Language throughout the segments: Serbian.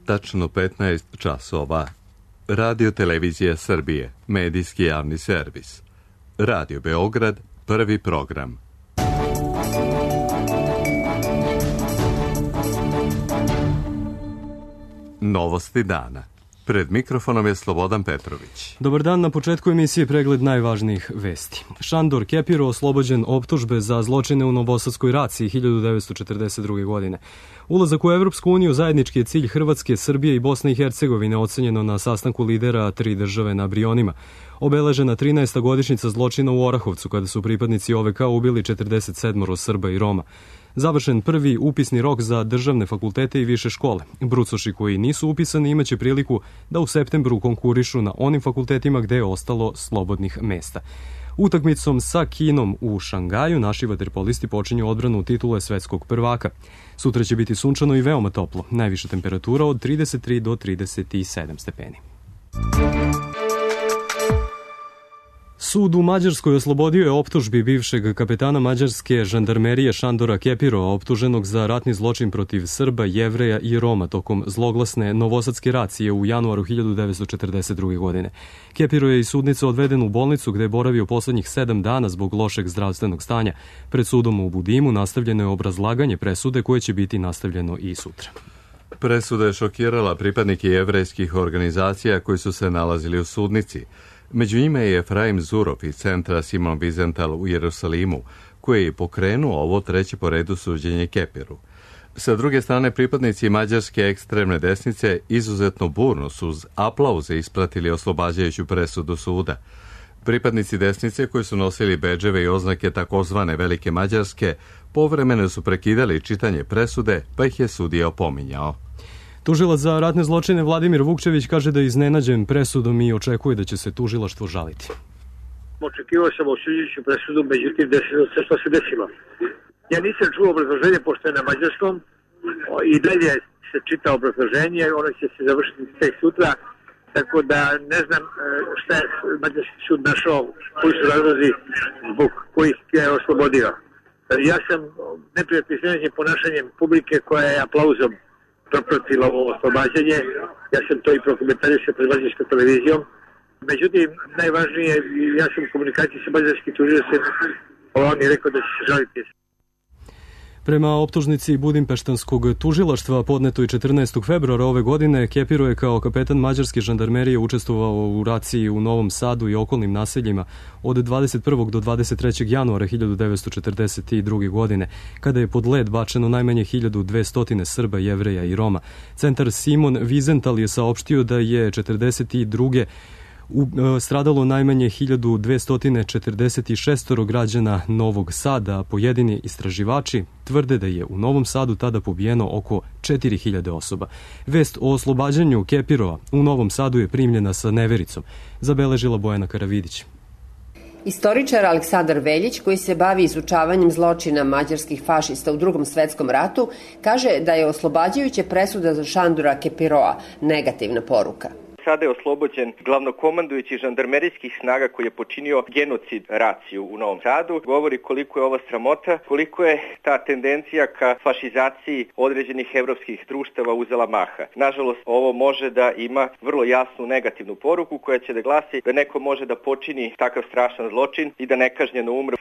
tačno 15 časova. Radio Televizija Srbije, medijski javni servis. Radio Beograd, prvi program. Novosti dana. Pred mikrofonom je Slobodan Petrović. Dobar dan, na početku emisije pregled najvažnijih vesti. Šandor Kepiro oslobođen optužbe za zločine u Novosadskoj raciji 1942. godine. Ulazak u Evropsku uniju zajednički je cilj Hrvatske, Srbije i Bosne i Hercegovine, ocenjeno na sastanku lidera tri države na Brionima. Obeležena 13. godišnjica zločina u Orahovcu, kada su pripadnici OVK ubili 47 Srba i Roma. Završen prvi upisni rok za državne fakultete i više škole. Brucoši koji nisu upisani imaće priliku da u septembru konkurišu na onim fakultetima gde je ostalo slobodnih mesta. Utakmicom sa Kinom u Šangaju naši vaterpolisti počinju odbranu titule svetskog prvaka. Sutra će biti sunčano i veoma toplo, najviša temperatura od 33 do 37 stepeni. Sud u Mađarskoj oslobodio je optužbi bivšeg kapetana mađarske žandarmerije Šandora Kepiro, optuženog za ratni zločin protiv Srba, Jevreja i Roma tokom zloglasne Novosadske racije u januaru 1942. godine. Kepiro je iz sudnice odveden u bolnicu gde je boravio poslednjih 7 dana zbog lošeg zdravstvenog stanja. Pred sudom u Budimu nastavljeno je obrazlaganje presude koje će biti nastavljeno i sutra. Presuda je šokirala pripadnike jevrejskih organizacija koji su se nalazili u sudnici. Među njima je Efraim Zurov iz centra Simon Wiesenthal u Jerusalimu, koji je pokrenuo ovo treće po redu suđenje Kepiru. Sa druge strane, pripadnici mađarske ekstremne desnice izuzetno burno su uz aplauze ispratili oslobađajuću presudu suda. Pripadnici desnice koji su nosili bedževe i oznake takozvane Velike Mađarske povremeno su prekidali čitanje presude, pa ih je sudija opominjao. Tužilac za ratne zločine Vladimir Vukčević kaže da je iznenađen presudom i očekuje da će se tužilaštvo žaliti. Očekivao sam osuđujuću presudu, međutim desilo se što se desilo. Ja nisam čuo obrazloženje pošto je na mađarskom i dalje se čita obrazloženje, ono će se završiti tek sutra, tako da ne znam šta je mađarski sud našao, koji su razlozi zbog kojih je oslobodio. Ja sam neprijatno iznenađen ponašanjem publike koja je aplauzom propratila ovo oslobađanje. Ja sam to i prokomentarisao pred mađarskom televizijom. Međutim, najvažnije, ja sam u komunikaciji sa mađarskim tužiocem, on je rekao da će se žaliti. Prema optužnici Budimpeštanskog tužilaštva podnetoj 14. februara ove godine, Kepiro je kao kapetan mađarske žandarmerije učestvovao u raciji u Novom Sadu i okolnim naseljima od 21. do 23. januara 1942. godine, kada je pod led bačeno najmanje 1200 Srba, Jevreja i Roma. Centar Simon Wiesenthal je saopštio da je 42. stradalo najmanje 1246 građana Novog Sada, a pojedini istraživači tvrde da je u Novom Sadu tada pobijeno oko 4000 osoba. Vest o oslobađanju Kepirova u Novom Sadu je primljena sa nevericom, zabeležila Bojana Karavidić. Istoričar Aleksandar Veljić, koji se bavi izučavanjem zločina mađarskih fašista u Drugom svetskom ratu, kaže da je oslobađajuća presuda za Šandora Kepiroa negativna poruka. Sada je oslobođen glavnokomandujući žandarmerijskih snaga koji je počinio genocid raciju u Novom Sadu. Govori koliko je ova sramota, koliko je ta tendencija ka fašizaciji određenih evropskih društava uzela maha. Nažalost, ovo može da ima vrlo jasnu negativnu poruku koja će da glasi da neko može da počini takav strašan zločin i da nekažnjeno umre.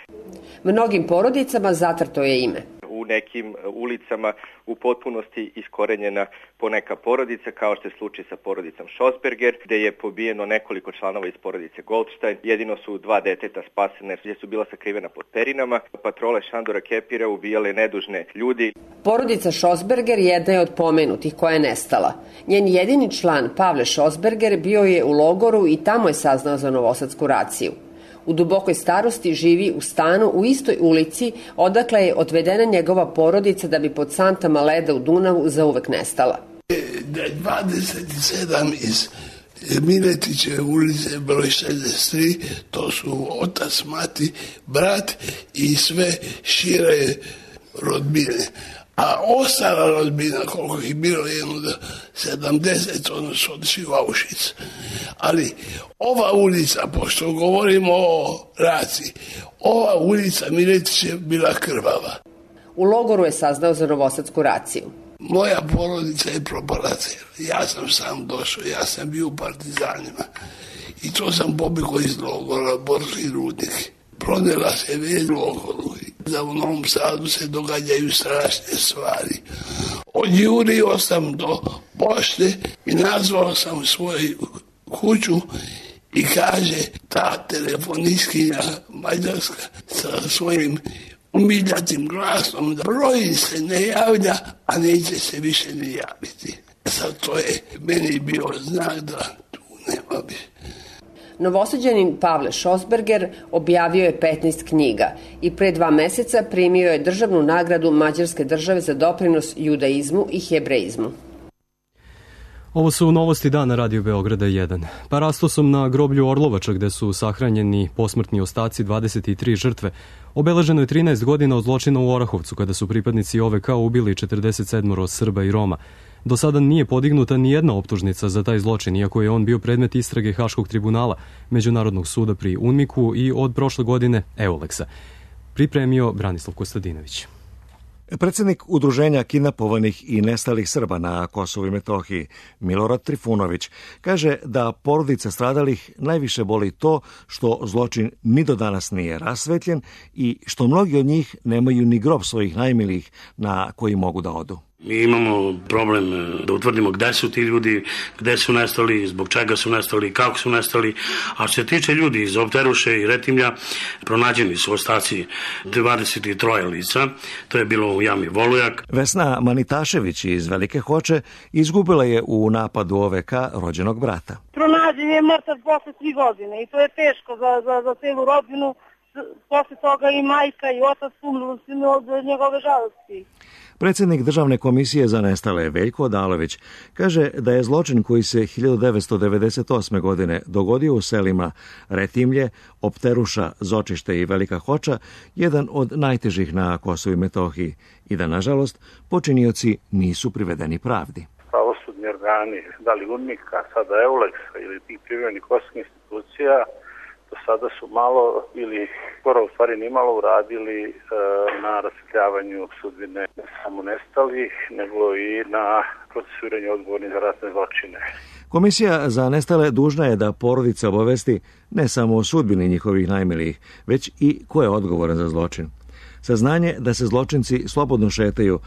Mnogim porodicama zatrto je ime. U nekim ulicama u potpunosti iskorenjena poneka porodica, kao što je slučaj sa porodicom Schosberger, gde je pobijeno nekoliko članova iz porodice Goldstein. Jedino su 2 deteta spasene, gdje su bila sakrivena pod perinama. Patrole Šandora Kepira ubijale nedužne ljudi. Porodica Schosberger jedna je od pomenutih koja je nestala. Njen jedini član, Pavle Schosberger, bio je u logoru i tamo je saznao za Novosadsku raciju. U dubokoj starosti živi u stanu u istoj ulici odakle je odvedena njegova porodica da bi pod santama leda u Dunavu zauvek nestala. 27 iz Miletićeve ulice, broj 63, to su otac, mati, brat i sve šire rodbine. A ostala rodbina, koliko ih bilo, jedno do 70, ono su otišli u Auschwitz. Ali ova ulica, pošto govorimo o raciji, ova ulica Miletić je bila krvava. U logoru je saznao za Novosadsku raciju. Moja porodica je propala cijela. Ja sam sam došao, ja sam bio u partizanima. I to sam pobjegao iz logora, Borski rudnik. Pronela se već logoru. Da u Novom Sadu se događaju strašne stvari. Odjurio sam do pošte i nazvao sam svoju kuću i kaže ta telefonistkinja mađarska sa svojim umiljatim glasom da broj se ne javlja, a neće se više ne javiti. Sad to je meni bio znak da tu nema više. Novosađanin Pavle Šosberger objavio je 15 knjiga i pre 2 meseca primio je državnu nagradu Mađarske države za doprinos judaizmu i hebreizmu. Ovo su novosti dana Radio Beograda 1. Parastosom na groblju Orlovača, gde su sahranjeni posmrtni ostaci 23 žrtve, obeleženo je 13 godina od zločina u Orahovcu, kada su pripadnici OVK ubili 47 Srba i Roma. Do sada nije podignuta ni jedna optužnica za taj zločin, iako je on bio predmet istrage Haškog tribunala, Međunarodnog suda pri UNMIK-u i od prošle godine EULEX-a. Pripremio Branislav Kostadinović. Predsednik Udruženja kidnapovanih i nestalih Srba na Kosovu i Metohiji, Milorad Trifunović, kaže da porodica stradalih najviše boli to što zločin ni do danas nije rasvetljen i što mnogi od njih nemaju ni grob svojih najmilijih na koji mogu da odu. Mi imamo problem da utvrdimo gde su ti ljudi, gde su nestali, zbog čega su nestali, kako su nestali. A što se tiče ljudi iz Opteruše i Retimlja, pronađeni su ostaci 23 lica. To je bilo u jami Volujak. Vesna Manitašević iz Velike Hoče izgubila je u napadu OVK rođenog brata. Pronađen je mrtav posle 3 godine i to je teško za celu rodbinu. Posle toga i majka i otac umrli od njegove žalosti. Predsednik Državne komisije za nestale Veljko Odalović kaže da je zločin koji se 1998. godine dogodio u selima Retimlje, Opteruša, Zočište i Velika Hoča jedan od najtežih na Kosovu i Metohiji i da, nažalost, počinioci nisu privedeni pravdi. Pravosudni organi, da li UNMIK-a, sada EULEX-a ili tih privremenih kosovskih institucija, do sada su malo ili skoro u stvari nimalo uradili na rasvetljavanju sudbine ne samo nestalih, nego i na procesuiranju odgovornih za ratne zločine. Komisija za nestale dužna je da porodica obavesti ne samo o sudbini njihovih najmilijih, već i ko je odgovoran za zločin. Saznanje da se zločinci slobodno šetaju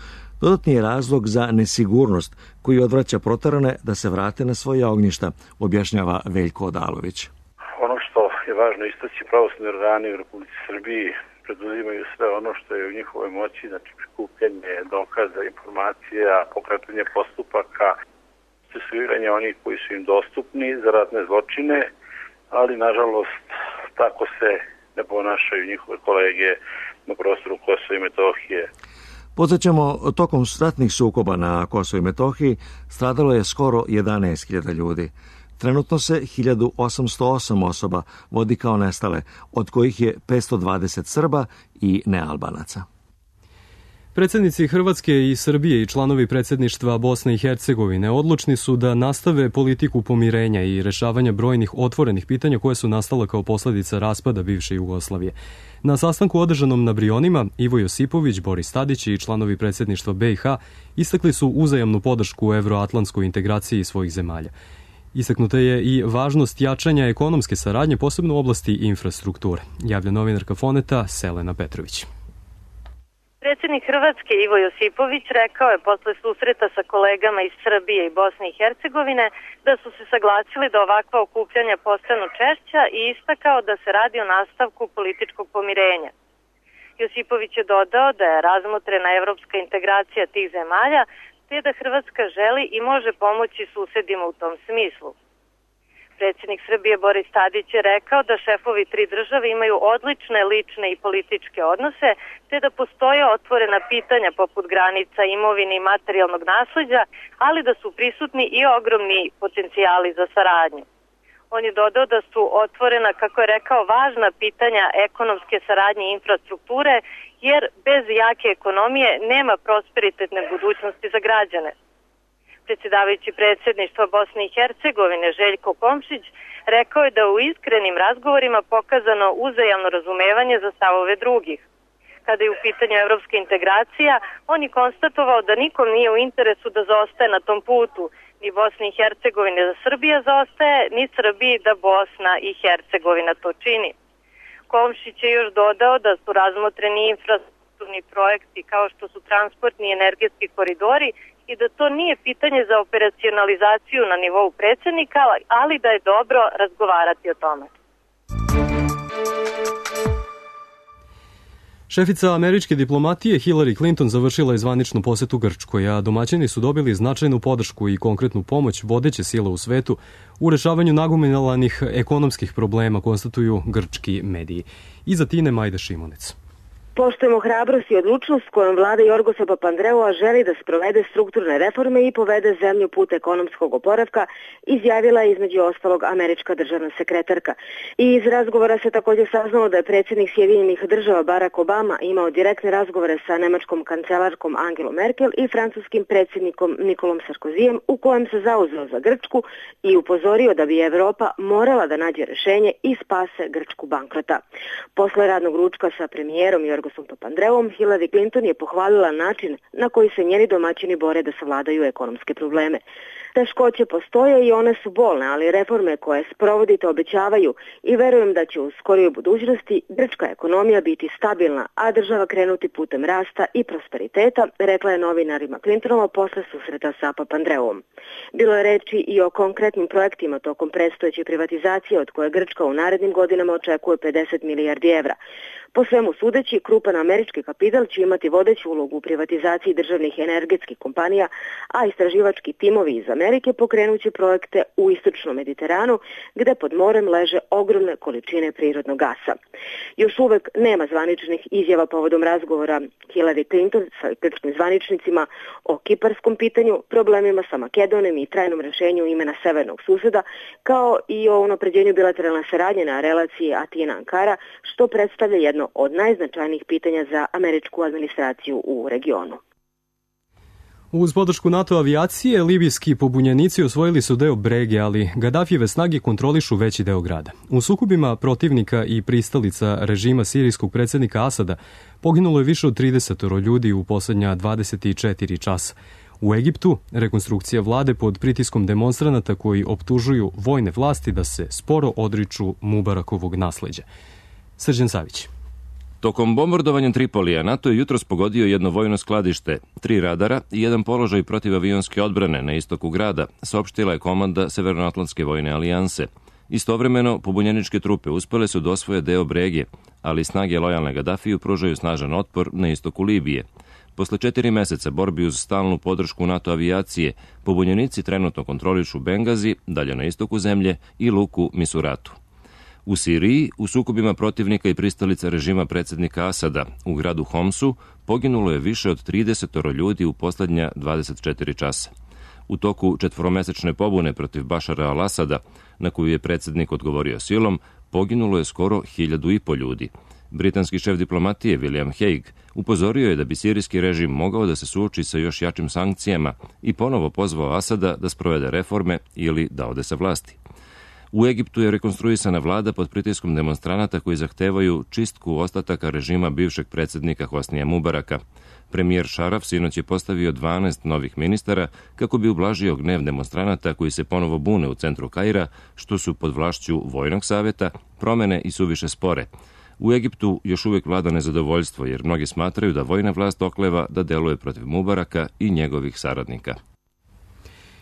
dodatni je razlog za nesigurnost koji odvraća proterane da se vrate na svoja ognjišta, objašnjava Veljko Odalović. Ono što je važno istaći, pravosudni organi u Republici Srbiji preduzimaju sve ono što je u njihovoj moći, znači prikupljanje dokaza, informacija, pokretanje postupaka, procesuiranje onih koji su im dostupni za ratne zločine, ali nažalost tako se ne ponašaju njihove kolege na prostoru Kosova i Metohije. Podsjećamo, tokom ratnih sukoba na Kosovu i Metohiji stradalo je skoro 11.000 ljudi. Trenutno se 1808 osoba vodi kao nestale, od kojih je 520 Srba i nealbanaca. Predsednici Hrvatske i Srbije i članovi predsedništva Bosne i Hercegovine odlučni su da nastave politiku pomirenja i rešavanja brojnih otvorenih pitanja koje su nastala kao posledica raspada bivše Jugoslavije. Na sastanku održanom na Brionima, Ivo Josipović, Boris Tadić i članovi predsedništva BiH istakli su uzajamnu podršku evroatlantskoj integraciji svojih zemalja. Istaknuta je i važnost jačanja ekonomske saradnje, posebno u oblasti infrastrukture, javlja novinarka Foneta Selena Petrović. Predsjednik Hrvatske Ivo Josipović rekao je posle susreta sa kolegama iz Srbije i Bosne i Hercegovine da su se saglasili da ovakva okupljanja postanu češća i istakao da se radi o nastavku političkog pomirenja. Josipović je dodao da je razmotrena evropska integracija tih zemalja, te da Hrvatska želi i može pomoći susedima u tom smislu. Predsjednik Srbije Boris Tadić je rekao da šefovi 3 države imaju odlične lične i političke odnose, te da postoje otvorena pitanja poput granica, imovine i materijalnog nasleđa, ali da su prisutni i ogromni potencijali za saradnju. On je dodao da su otvorena, kako je rekao, važna pitanja ekonomske saradnje i infrastrukture, jer bez jake ekonomije nema prosperitetne budućnosti za građane. Predsjedavajući predsjedništva Bosne i Hercegovine Željko Komšić rekao je da u iskrenim razgovorima pokazano uzajamno razumevanje za stavove drugih. kada je u pitanju evropska integracija. On je konstatovao da nikom nije u interesu da zaostaje na tom putu, ni Bosni i Hercegovine da Srbija zaostaje, ni Srbiji da Bosna i Hercegovina to čini. Komšić je još dodao da su razmotreni infrastrukturni projekti kao što su transportni i energetski koridori i da to nije pitanje za operacionalizaciju na nivou predsjednika, ali da je dobro razgovarati o tome. Šefica američke diplomatije Hillary Clinton završila je zvaničnu posetu Grčkoj, a domaćini su dobili značajnu podršku i konkretnu pomoć vodeće sile u svetu u rešavanju nagomilanih ekonomskih problema, konstatuju grčki mediji. Iza Tine Majda Šimunec. Poštujemo hrabrost i odlučnost kojom vlada Jorgosa Papandreua želi da sprovede strukturne reforme i povede zemlju put ekonomskog oporavka, izjavila je između ostalog američka državna sekretarka. I iz razgovora se također saznalo da je predsjednik Sjedinjenih država Barack Obama imao direktne razgovore sa nemačkom kancelarkom Angelom Merkel i francuskim predsjednikom Nikolom Sarkozijem, u kojem se zauzeo za Grčku i upozorio da bi Evropa morala da nađe rešenje i spase Grčku bankrota. Posle radnog ručka sa premijerom Jorgosom Papandreouom, Hillary Clinton je pohvalila način na koji se njeni domaćini bore da savladaju ekonomske probleme. Teškoće postoje i one su bolne, ali reforme koje sprovodite obećavaju i verujem da će u skorijoj budućnosti grčka ekonomija biti stabilna, a država krenuti putem rasta i prosperiteta, rekla je novinarima Clintonova posle susreta sa Papandreouom. Bilo je reči i o konkretnim projektima tokom predstojeće privatizacije od koje Grčka u narednim godinama očekuje 50 milijardi evra. Po svemu sudeći, krupan američki kapital će imati vodeću ulogu u privatizaciji državnih energetskih kompanija, a istraživački timovi iz Amerike pokrenuće projekte u istočnom Mediteranu, gde pod morem leže ogromne količine prirodnog gasa. Još uvek nema zvaničnih izjava povodom razgovora Hillary Clinton sa grčkim zvaničnicima o kiparskom pitanju, problemima sa Makedonijom i trajnom rešenju imena severnog suseda, kao i o unapređenju bilateralne saradnje na relaciji Atina-Ankara, što predstavlja jedno od najznačajnijih pitanja za američku administraciju u regionu. Uz podršku NATO avijacije, libijski pobunjenici osvojili su deo Brege, ali Gadafijeve snage kontrolišu veći deo grada. U sukobima protivnika i pristalica režima sirijskog predsjednika Asada poginulo je više od 30 ljudi u poslednja 24 časa. U Egiptu rekonstrukcija vlade pod pritiskom demonstranata koji optužuju vojne vlasti da se sporo odriču Mubarakovog nasleđa. Srđan Savić. Tokom bombardovanja Tripolija NATO je jutros pogodio jedno vojno skladište, 3 radara i jedan položaj protivavionske odbrane na istoku grada, saopštila je komanda Severnoatlantske vojne alijanse. Istovremeno, pobunjeničke trupe uspele su da osvoje deo Brege, ali snage lojalne Gadafiju pružaju snažan otpor na istoku Libije. Posle 4 meseca borbi uz stalnu podršku NATO avijacije, pobunjenici trenutno kontrolišu Bengazi, dalje na istoku zemlje, i luku Misuratu. U Siriji, u sukobima protivnika i pristalica režima predsjednika Asada u gradu Homsu, poginulo je više od 30 ljudi u poslednja 24 časa. U toku 4-mesečne pobune protiv Bašara al-Asada, na koju je predsjednik odgovorio silom, poginulo je skoro 1.500 ljudi. Britanski šef diplomatije William Hague upozorio je da bi sirijski režim mogao da se suoči sa još jačim sankcijama i ponovo pozvao Asada da sprovede reforme ili da ode sa vlasti. U Egiptu je rekonstruisana vlada pod pritiskom demonstranata koji zahtevaju čistku ostataka režima bivšeg predsjednika Hosnija Mubaraka. Premijer Šaraf sinoć je postavio 12 novih ministara kako bi ublažio gnev demonstranata koji se ponovo bune u centru Kaira, što su pod vlašću Vojnog saveta, promene i suviše spore. U Egiptu još uvijek vlada nezadovoljstvo jer mnogi smatraju da vojna vlast okleva da deluje protiv Mubaraka i njegovih saradnika.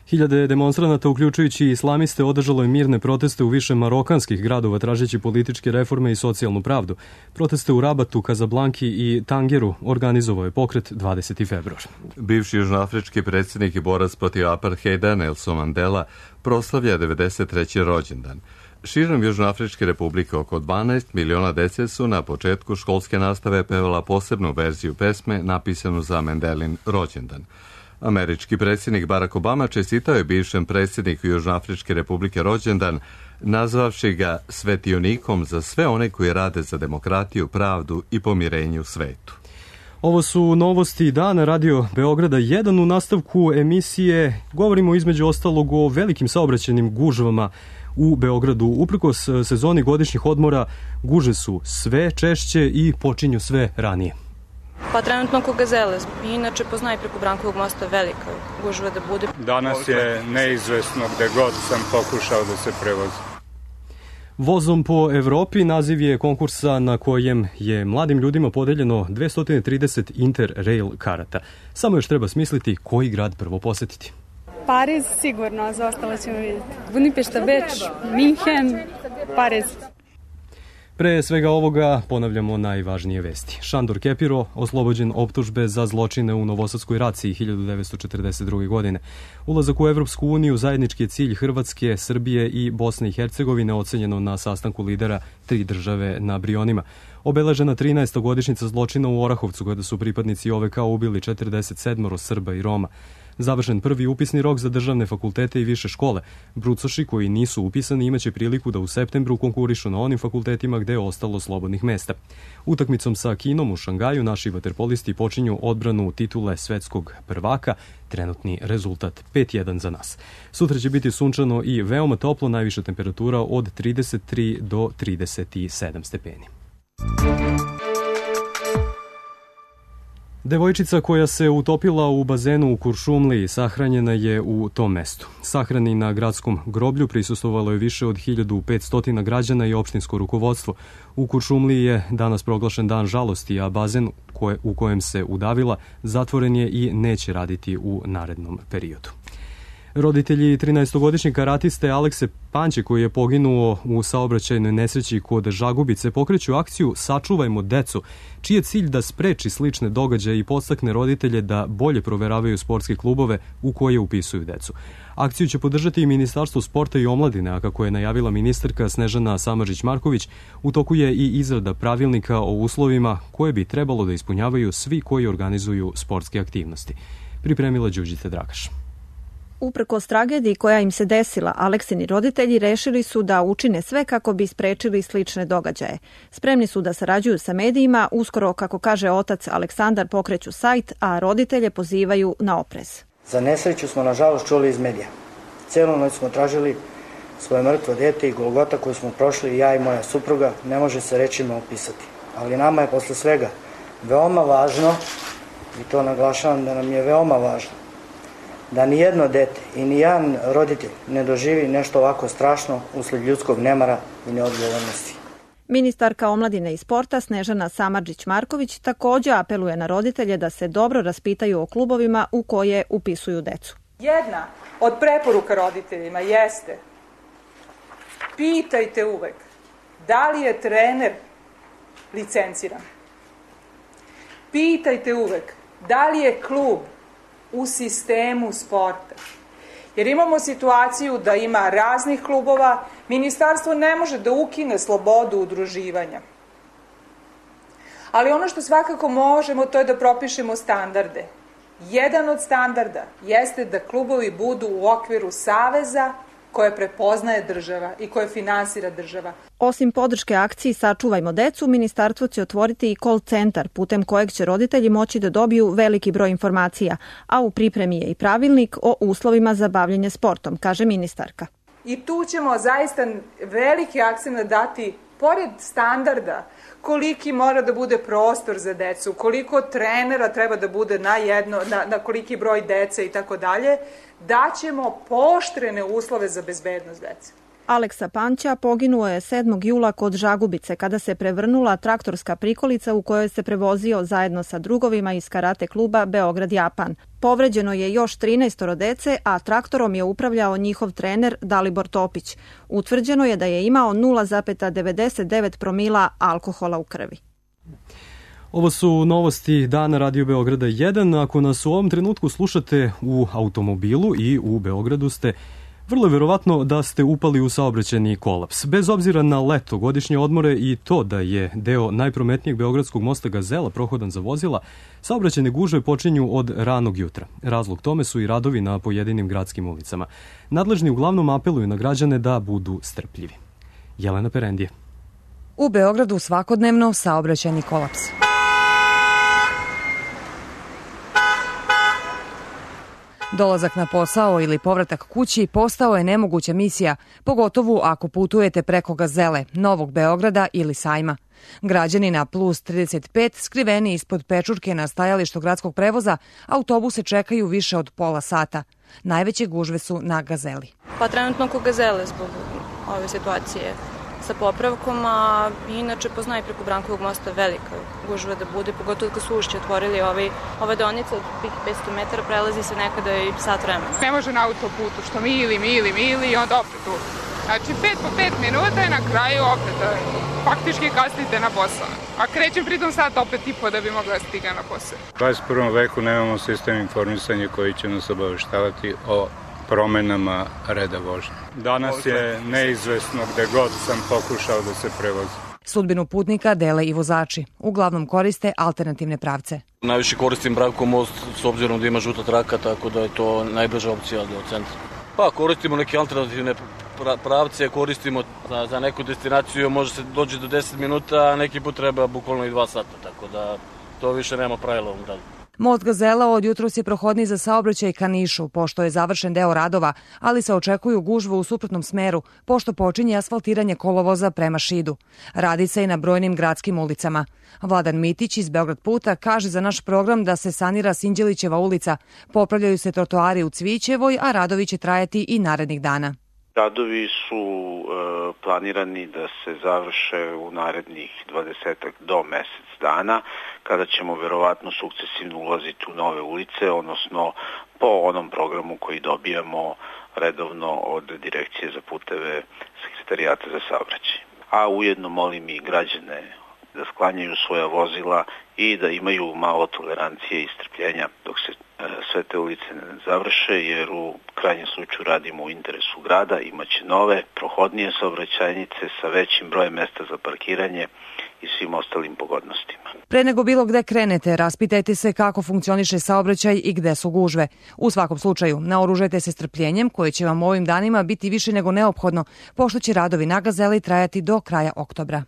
Hiljade demonstranata, uključujući i islamiste, održalo je mirne proteste u više marokanskih gradova tražeći političke reforme i socijalnu pravdu. Proteste u Rabatu, Kazablanki i Tangeru organizovao je pokret 20. februar. Bivši južnoafrički predsjednik i borac protiv apartheida Nelson Mandela proslavlja 93. rođendan. Širom Južnoafričke republike oko 12 miliona dece su na početku školske nastave pevala posebnu verziju pesme napisanu za Mandelin rođendan. Američki predsjednik Barack Obama čestitao je bivšem predsjedniku Južnoafričke republike rođendan, nazvavši ga svetionikom za sve one koji rade za demokratiju, pravdu i pomirenje u svetu. Ovo su novosti dana Radio Beograda 1. U nastavku emisije govorimo između ostalog o velikim saobraćajnim gužvama u Beogradu. Uprkos sezoni godišnjih odmora, gužve su sve češće i počinju sve ranije. Pa trenutno oko Gazele. Inače poznaje preko Brankovog mosta velika gužva da bude. Danas je neizvesno gde god sam pokušao da se prevozim. Vozom po Evropi naziv je konkursa na kojem je mladim ljudima podeljeno 230 Interrail karata. Samo još treba smisliti koji grad prvo posetiti. Pariz sigurno, za ostalo ćemo vidjeti. Budimpešta, Beč, Minhen, Pariz. Pre svega ovoga ponavljamo najvažnije vesti. Šandor Kepiro oslobođen optužbe za zločine u Novosadskoj raciji 1942. godine. Ulazak u Evropsku uniju zajednički je cilj Hrvatske, Srbije i Bosne i Hercegovine, ocenjeno na sastanku lidera 3 države na Brionima. Obeležena 13. godišnjica zločina u Orahovcu, kada su pripadnici OVK ubili 47 Srba i Roma. Završen prvi upisni rok za državne fakultete i više škole. Brucoši koji nisu upisani imaće priliku da u septembru konkurišu na onim fakultetima gde je ostalo slobodnih mesta. Utakmicom sa Kinom u Šangaju naši vaterpolisti počinju odbranu titule svetskog prvaka. Trenutni rezultat 5-1 za nas. Sutra će biti sunčano i veoma toplo, najviša temperatura od 33 do 37 stepeni. Devojčica koja se utopila u bazenu u Kuršumliji sahranjena je u tom mestu. Sahrani na gradskom groblju prisustvovalo je više od 1500 građana i opštinsko rukovodstvo. U Kuršumliji je danas proglašen dan žalosti, a bazen u kojem se udavila zatvoren je i neće raditi u narednom periodu. Roditelji 13-godišnjeg karatiste Alekse Panće, koji je poginuo u saobraćajnoj nesreći kod Žagubice, pokreću akciju Sačuvajmo decu, čiji je cilj da spreči slične događaje i podstakne roditelje da bolje proveravaju sportske klubove u koje upisuju decu. Akciju će podržati i Ministarstvo sporta i omladine, a kako je najavila ministarka Snežana Samardžić-Marković, u toku je i izrada pravilnika o uslovima koje bi trebalo da ispunjavaju svi koji organizuju sportske aktivnosti. Pripremila Đurđica Dragaš. Uprkos tragediji koja im se desila, Aleksini roditelji rešili su da učine sve kako bi sprečili slične događaje. Spremni su da sarađuju sa medijima, uskoro, kako kaže otac Aleksandar, pokreću sajt, a roditelje pozivaju na oprez. Za nesreću smo nažalost čuli iz medija. Celu noć smo tražili svoje mrtvo dete i golgota koju smo prošli ja i moja supruga ne može se rečima opisati. Ali nama je posle svega veoma važno, i to naglašavam da nam je veoma važno, da nijedno dete i nijedan roditelj ne doživi nešto ovako strašno usled ljudskog nemara i neodgovornosti. Ministarka omladine i sporta Snežana Samardžić-Marković takođe apeluje na roditelje da se dobro raspitaju o klubovima u koje upisuju decu. Jedna od preporuka roditeljima jeste: pitajte uvek da li je trener licenciran. Pitajte uvek da li je klub u sistemu sporta. Jer imamo situaciju da ima raznih klubova, ministarstvo ne može da ukine slobodu udruživanja. Ali ono što svakako možemo, to je da propišemo standarde. Jedan od standarda jeste da klubovi budu u okviru saveza koje prepoznaje država i koje finansira država. Osim podrške akciji Sačuvajmo decu, ministarstvo će otvoriti i call centar putem kojeg će roditelji moći da dobiju veliki broj informacija, a u pripremi je i pravilnik o uslovima za bavljenje sportom, kaže ministarka. I tu ćemo zaista veliki akcent dati, pored standarda, koliki mora da bude prostor za decu, koliko trenera treba da bude na koliki broj dece i tako dalje, daćemo pooštrene uslove za bezbednost dece. Aleksa Panća poginuo je 7. jula kod Žagubice kada se prevrnula traktorska prikolica u kojoj se prevozio zajedno sa drugovima iz karate kluba Beograd-Japan. Povređeno je još 13 dece, a traktorom je upravljao njihov trener Dalibor Topić. Utvrđeno je da je imao 0,99 promila alkohola u krvi. Ovo su novosti dana Radio Beograda 1. Ako nas u ovom trenutku slušate u automobilu i u Beogradu ste, vrlo je verovatno da ste upali u saobraćajni kolaps. Bez obzira na leto, godišnje odmore i to da je deo najprometnijeg beogradskog mosta Gazela prohodan za vozila, saobraćajne gužve počinju od ranog jutra. Razlog tome su i radovi na pojedinim gradskim ulicama. Nadležni uglavnom apeluju na građane da budu strpljivi. Jelena Perendije. U Beogradu svakodnevno saobraćajni kolaps. Dolazak na posao ili povratak kući postao je nemoguća misija, pogotovo ako putujete preko Gazele, Novog Beograda ili Sajma. Građani na plus 35 skriveni ispod pečurke na stajalištu gradskog prevoza, autobuse čekaju više od pola sata. Najveće gužve su na Gazeli. Pa trenutno oko Gazele zbog ove situacije sa popravkom, a inače poznaje preko Brankovog mosta velika gužva da bude, pogotovo kad su ušće otvorili ove deonice od 500 metara, prelazi se nekada i sat vremena. Ne može na autoputu, što mili i onda opet tu. Znači 5 po 5 minuta i na kraju opet faktički kasnite na posao. A krećem pritom sat opet i po da bi mogla da stiga na posao. U 21. veku nemamo sistem informisanja koji će nas obaveštavati o promenama reda vožnje. Danas je neizvesno gde god sam pokušao da se prevozi. Sudbinu putnika dele i vozači. Uglavnom koriste alternativne pravce. Najviše koristim Brankov most s obzirom da ima žuta traka, tako da je to najbrža opcija do centra. Pa koristimo neke alternativne pravce, koristimo za neku destinaciju, može se doći do 10 minuta, a neki put treba bukvalno i 2 sata, tako da to više nema pravila u ovom gradu. Most Gazela od jutros je prohodniji za saobraćaj ka Nišu, pošto je završen deo radova, ali se očekuju gužve u suprotnom smeru, pošto počinje asfaltiranje kolovoza prema Šidu. Radi se i na brojnim gradskim ulicama. Vladan Mitić iz Beograd puta kaže za naš program da se sanira Sinđelićeva ulica, popravljaju se trotoari u Cvićevoj, a radovi će trajati i narednih dana. Radovi su planirani da se završe u narednih 20 do mesec dana, kada ćemo verovatno sukcesivno ulaziti u nove ulice, odnosno po onom programu koji dobijamo redovno od Direkcije za puteve Sekretarijata za saobraćaj. A ujedno molim i građane da sklanjaju svoja vozila i da imaju malo tolerancije i strpljenja dok se sve te ulice ne završe, jer u krajnjem slučaju radimo u interesu grada, imaće nove, prohodnije saobraćajnice sa većim brojem mesta za parkiranje i svim ostalim pogodnostima. Pre nego bilo gde krenete, raspitajte se kako funkcioniše saobraćaj i gde su gužve. U svakom slučaju, naoružajte se strpljenjem koje će vam ovim danima biti više nego neophodno, pošto će radovi na Gazeli trajati do kraja oktobra.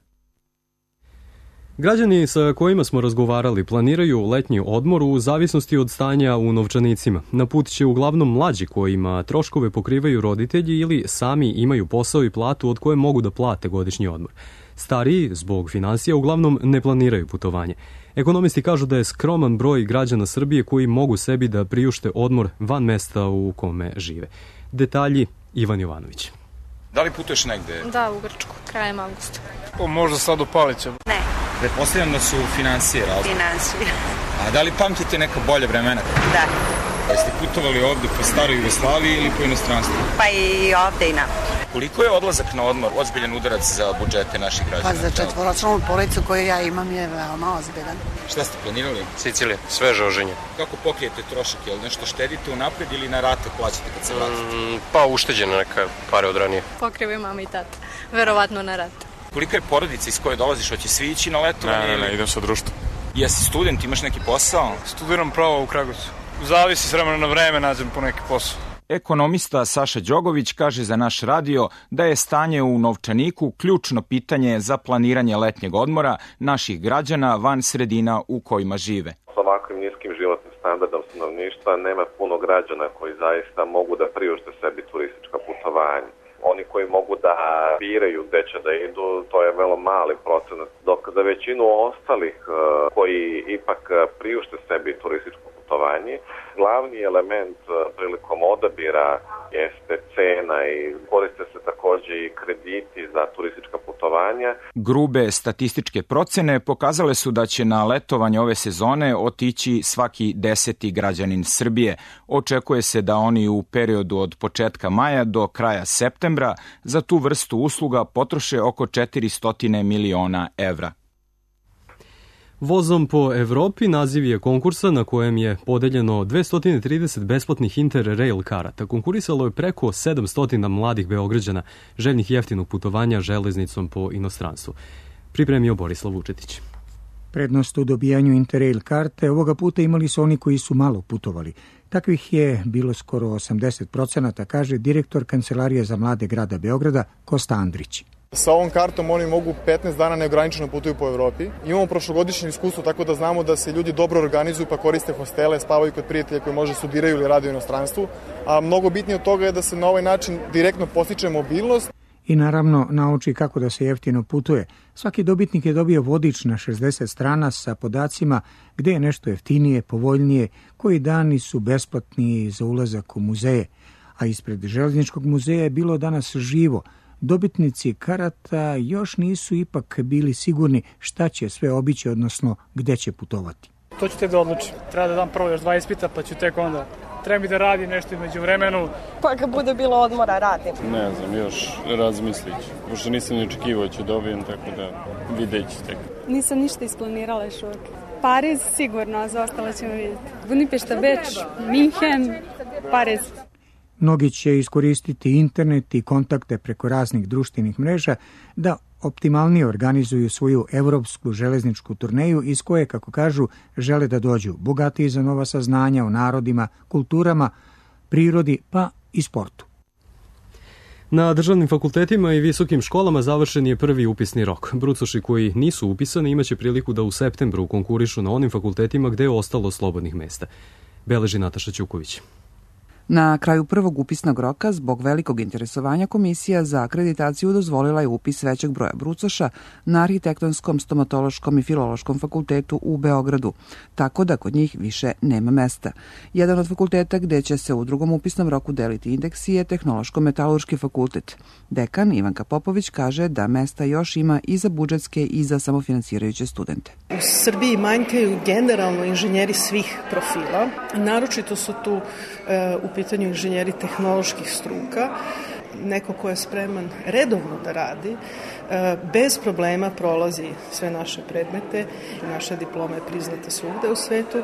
Građani sa kojima smo razgovarali planiraju letnji odmor u zavisnosti od stanja u novčanicima. Na put će uglavnom mlađi kojima troškove pokrivaju roditelji ili sami imaju posao i platu od koje mogu da plate godišnji odmor. Stariji, zbog finansija, uglavnom ne planiraju putovanje. Ekonomisti kažu da je skroman broj građana Srbije koji mogu sebi da priušte odmor van mesta u kome žive. Detalji Ivan Jovanović. Da li putuješ negde? Da, u Grčku, krajem avgusta. Možda sad u Paliću. Ne. Pretpostavljam da su financije razlike. Financije. A da li pamtite neka bolja vremena? Da. Jeste putovali ovde po staroj Jugoslaviji ili po inostranstvu? Pa i ovde i na. Koliko je odlazak na odmor ozbiljan udarac za budžete naših građana? Pa za četvoročlanu policu koju ja imam je veoma ozbiljan. Šta ste planirali? Sicilija, sveže oženje. Kako pokrijete trošak? Je li nešto štedite unapred ili na rate plaćate kad se vratite? Pa ušteđene neka pare od ranije. Pokrivaju mama i tata, verovatno na rate. Kolika je porodica iz koje dolaziš? Hoće svi ići na letovanje? Ne, idem sa društvom. Jesi student, imaš neki posao? Studiram pravo u Kragujevcu. Zavisi s vremena na vreme, nađem po neki posao. Ekonomista Saša Đogović kaže za naš radio da je stanje u novčaniku ključno pitanje za planiranje letnjeg odmora naših građana van sredina u kojima žive. S ovakvim niskim životnim standardom stanovništva nema puno građana koji zaista mogu da priušte sebi turistička putovanja. Oni koji mogu da biraju gde će da idu, to je vrlo mali procenat, dok za većinu ostalih koji ipak priušte sebi turističko putovanje, glavni element prilikom odabira jeste cena i koriste se takođe i krediti za turistička putovanja. Grube statističke procene pokazale su da će na letovanje ove sezone otići svaki 10. građanin Srbije. Očekuje se da oni u periodu od početka maja do kraja septembra za tu vrstu usluga potroše oko 400 miliona evra. Vozom po Evropi naziv je konkursa na kojem je podeljeno 230 besplatnih Interrail karata. Konkurisalo je preko 700 mladih Beograđana željnih jeftinog putovanja železnicom po inostranstvu. Pripremio Borislav Vučetić. Prednost u dobijanju Interrail karte ovoga puta imali su oni koji su malo putovali. Takvih je bilo skoro 80%, kaže direktor Kancelarije za mlade grada Beograda Kosta Andrić. Sa ovom kartom oni mogu 15 dana neograničeno putuju po Evropi. Imamo prošlogodišnje iskustvo, tako da znamo da se ljudi dobro organizuju pa koriste hostele, spavaju kod prijatelja koji možda studiraju ili rade u inostranstvu. A mnogo bitnije od toga je da se na ovaj način direktno podstiče mobilnost. i naravno nauči kako da se jeftino putuje. Svaki dobitnik je dobio vodič na 60 strana sa podacima gde je nešto jeftinije, povoljnije, koji dani su besplatni za ulazak u muzeje. A ispred Železničkog muzeja je bilo danas živo. Dobitnici karata još nisu ipak bili sigurni šta će sve obići, odnosno gde će putovati. To ću tek da odlučim. Treba da dam prvo još 2 ispita, pa ću tek onda. Treba mi da radi nešto među vremenu. Pa kad bude bilo odmora, radim. Ne znam, još razmislit ću. Pošto nisam ni očekivao ću dobijem, tako da vidjet ću tek. Nisam ništa isplanirala još uvijek. Pariz sigurno, a za ostalo ćemo vidjeti. Budimpešta, Beč, Minhen, Pariz. Mnogi će iskoristiti internet i kontakte preko raznih društvenih mreža da optimalnije organizuju svoju evropsku železničku turneju iz koje, kako kažu, žele da dođu bogatiji za nova saznanja o narodima, kulturama, prirodi pa i sportu. Na državnim fakultetima i visokim školama završen je prvi upisni rok. Brucoši koji nisu upisani imaće priliku da u septembru konkurišu na onim fakultetima gde je ostalo slobodnih mesta. Beleži Nataša Ćuković. Na kraju prvog upisnog roka, zbog velikog interesovanja, Komisija za akreditaciju dozvolila je upis većeg broja brucoša na Arhitektonskom, Stomatološkom i Filološkom fakultetu u Beogradu, tako da kod njih više nema mesta. Jedan od fakulteta gde će se u drugom upisnom roku deliti indeksi je Tehnološko-metalurški fakultet. Dekan Ivanka Popović kaže da mesta još ima i za budžetske i za samofinansirajuće studente. U Srbiji manjkaju generalno inženjeri svih profila, naročito su tu u pitanju inženjeri tehnoloških struka, neko ko je spreman redovno da radi, bez problema prolazi sve naše predmete, naša diploma je priznata svugde u svetu,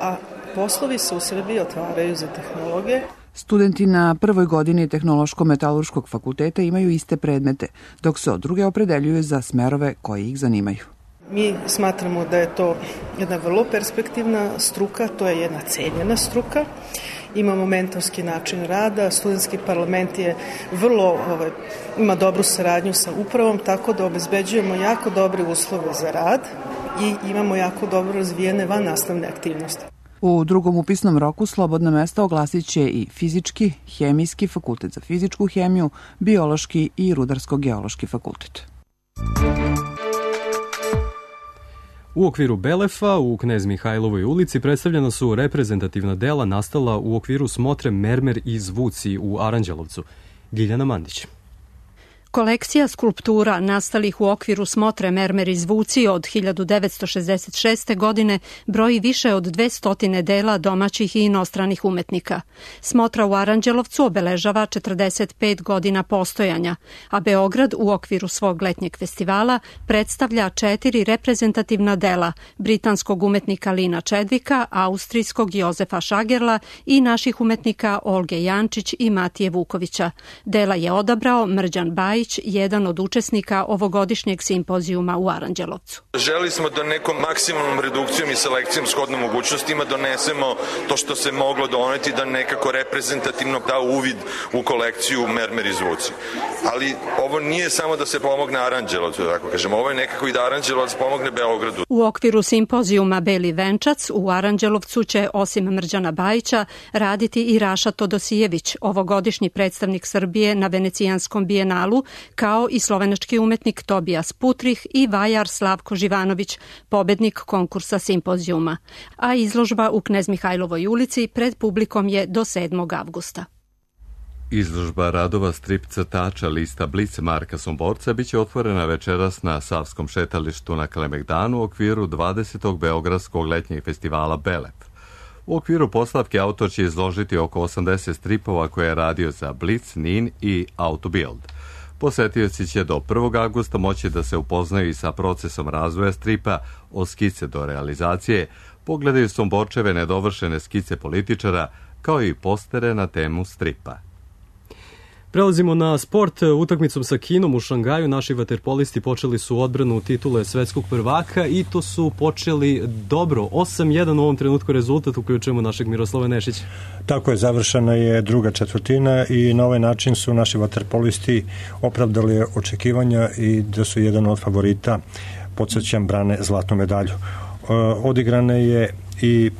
a poslovi se u Srbiji otvaraju za tehnologe. Studenti na prvoj godini Tehnološko-metalurškog fakulteta imaju iste predmete, dok se od druge opredeljuju za smerove koji ih zanimaju. Mi smatramo da je to jedna vrlo perspektivna struka, to je jedna cenjena struka. Imamo mentorski način rada, studentski parlament je ima dobru saradnju sa upravom, tako da obezbeđujemo jako dobre uslove za rad i imamo jako dobro razvijene vannastavne aktivnosti. U drugom upisnom roku slobodna mesta oglasit će i fizički, hemijski fakultet za fizičku hemiju, biološki i rudarsko-geološki fakultet. U okviru Belefa u Knez Mihajlovoj ulici predstavljena su reprezentativna dela nastala u okviru smotre Mermer i zvuci u Aranđelovcu. Giljana Mandić. Kolekcija skulptura nastalih u okviru smotre Mermer i zvuci od 1966. godine broji više od 200 dela domaćih i inostranih umetnika. Smotra u Aranđelovcu obeležava 45 godina postojanja, a Beograd u okviru svog letnjeg festivala predstavlja 4 reprezentativna dela britanskog umetnika Lina Čedvika, austrijskog Jozefa Šagerla i naših umetnika Olge Jančić i Matije Vukovića. Dela je odabrao Mrđan Bajić, jedan od učesnika ovogodišnjeg simpozijuma u Aranđelovcu. Želeli smo da nekom maksimalnom redukcijom i selekcijom shodno mogućnostima donesemo to što se moglo doneti, da nekako reprezentativno da uvid u kolekciju Mermer i zvuci. Ali ovo nije samo da se pomogne Aranđelovcu, tako kažem, ovo je nekako i da Aranđelovac pomogne Beogradu. U okviru simpozijuma Beli venčac u Aranđelovcu će osim Mrđana Bajića raditi i Raša Todosijević, ovogodišnji predstavnik Srbije na Venecijanskom bijenalu, kao i slovenački umetnik Tobijas Putrih i vajar Slavko Živanović, pobednik konkursa simpozijuma. A izložba u Knez Mihajlovoj ulici pred publikom je do 7. avgusta. Izložba radova strip crtača lista Blic Marka Somborca biće otvorena večeras na Savskom šetalištu na Kalemegdanu u okviru 20. Beogradskog letnjeg festivala Belef. U okviru postavke autor će izložiti oko 80 stripova koje je radio za Blic, Nin i Autobild. Posetioci će do 1. avgusta moći da se upoznaju i sa procesom razvoja stripa od skice do realizacije, pogledaju Somborčeve nedovršene skice političara, kao i postere na temu stripa. Prelazimo na sport. Utakmicom sa Kinom u Šangaju naši vaterpolisti počeli su odbranu titule svetskog prvaka i to su počeli dobro. 8-1 u ovom trenutku rezultat, uključujemo našeg Miroslava Nešića. Tako je, završena je druga četvrtina i na ovaj način su naši vaterpolisti opravdali očekivanja i da su jedan od favorita, podsjećam, brane zlatnu medalju. Odigrana je i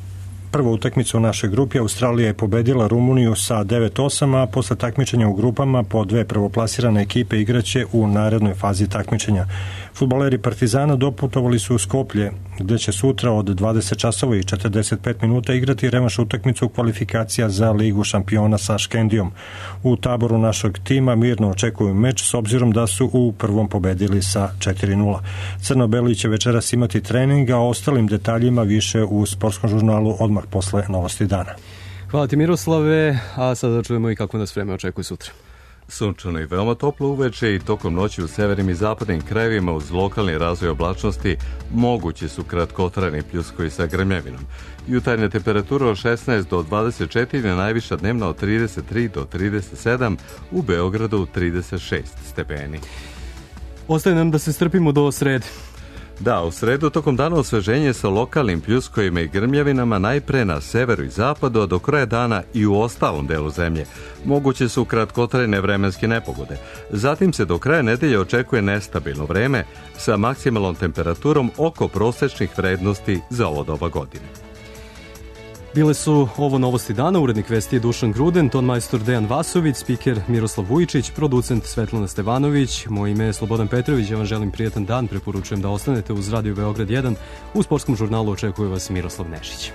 prvu utakmicu u našoj grupi. Australija je pobedila Rumuniju sa 9-8, a posle takmičenja u grupama po dve prvoplasirane ekipe igraće u narednoj fazi takmičenja. Fudbaleri Partizana doputovali su u Skoplje, gde će sutra od 20 časova i 45 minuta igrati revanš utakmicu kvalifikacija za Ligu šampiona sa Škendijom. U taboru našeg tima mirno očekuju meč s obzirom da su u prvom pobedili sa 4-0. Crno-beli će večeras imati trening, a o ostalim detaljima više u sportskom žurnalu odmah posle novosti dana. Hvala ti Miroslave, a sada čujemo i kako nas vreme očekuje sutra. Sunčano i veoma toplo uveče i tokom noći u severnim i zapadnim krajevima uz lokalni razvoj oblačnosti mogući su kratkotrajni pljuskovi sa grmljavinom. Jutarnja temperatura od 16 do 24, najviša dnevna od 33 do 37, u Beogradu 36 stepeni. Ostaje nam da se strpimo do srede. Da, u sredu tokom dana osveženje sa lokalnim pljuskovima i grmljavinama najpre na severu i zapadu, a do kraja dana i u ostalom delu zemlje. Moguće su kratkotrajne vremenske nepogode. Zatim se do kraja nedelje očekuje nestabilno vreme sa maksimalnom temperaturom oko prosečnih vrednosti za ovo doba godine. Bile su ovo novosti dana, urednik vesti je Dušan Gruden, tonmajstor Dejan Vasović, spiker Miroslav Vujičić, producent Svetlana Stevanović, moje ime je Slobodan Petrović, ja vam želim prijetan dan, preporučujem da ostanete uz Radio Beograd 1, u sportskom žurnalu očekuje vas Miroslav Nešić.